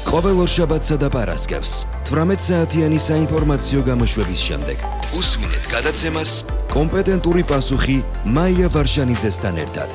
ყოველ ორშაბათსა და პარასკევს თვრამეტ საათიანი საინფორმაციო გამოშვების შემდეგ უსმინეთ გადაცემას კომპეტენტური პასუხი მაია ვარშანიძესთან ერთად.